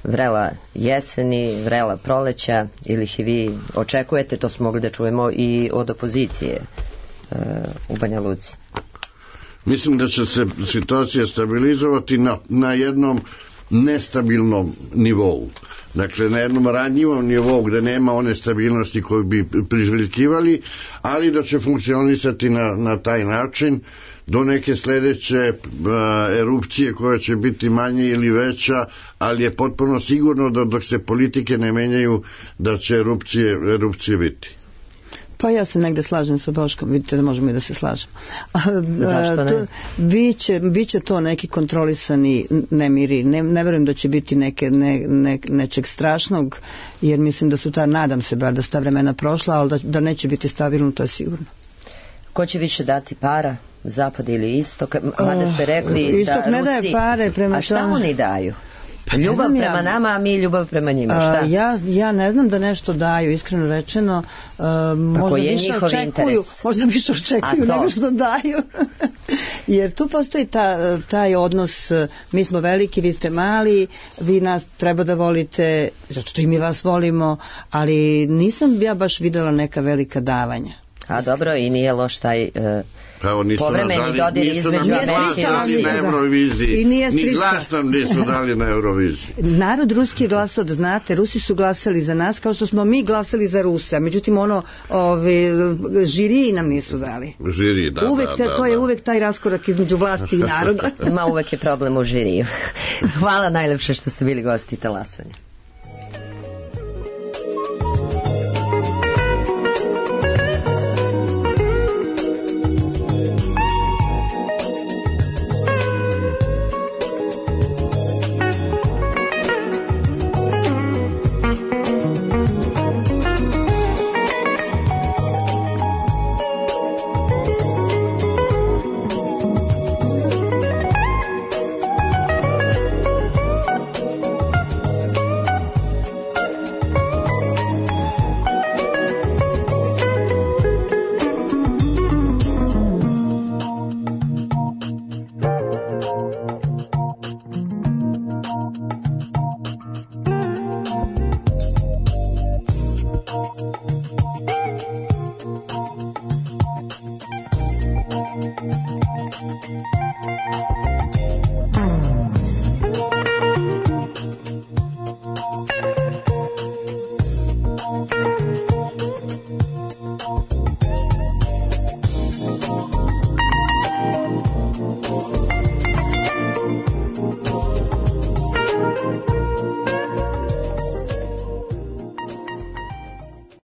vrela jeseni, vrela proleća, ili ih i vi očekujete, to smo mogli da čujemo i od opozicije u Banja Luci. Mislim da će se situacija stabilizovati na jednom nestabilnom nivou. Dakle, na jednom ranjivom nivou gde nema one stabilnosti koju bi priželjkivali, ali da će funkcionisati na taj način do neke sledeće erupcije koja će biti manje ili veća, ali je potpuno sigurno da dok se politike ne menjaju da će erupcije biti. Pa ja se negde slažem sa Boškom, vidite da možemo i da se slažemo. Zašto ne? Biće to neki kontrolisani nemiri. Ne verujem da će biti nečeg strašnog, jer mislim da su nadam se bar da su ta vremena prošla, ali da neće biti stabilno, to je sigurno. Ko će više dati para? Zapad ili istok? Mada ste rekli istok da ne daje Rusi... pare prema... A šta oni daju? Ljubav prema nama, a mi ljubav prema njima, šta? Ja ne znam da nešto daju, iskreno rečeno. Možda više očekuju nego što daju. Jer tu postoji taj odnos, mi smo veliki, vi ste mali, vi nas treba da volite, zato što i mi vas volimo, ali nisam ja baš videla neka velika davanja. A dobro, i nije loš taj povremeni dodir između Amerike i Rusije. Na Euroviziji. Ni glas nam nisu dali na Euroviziji. Narod ruski je glasao, da znate, Rusi su glasali za nas kao što smo mi glasali za Rusa. Međutim, žiriji nam nisu dali. Žiriji, da. To je uvek taj raskorak između vlasti i naroda. Ma uvek je problem u žiriju. Hvala najlepše što ste bili gosti Talasanja.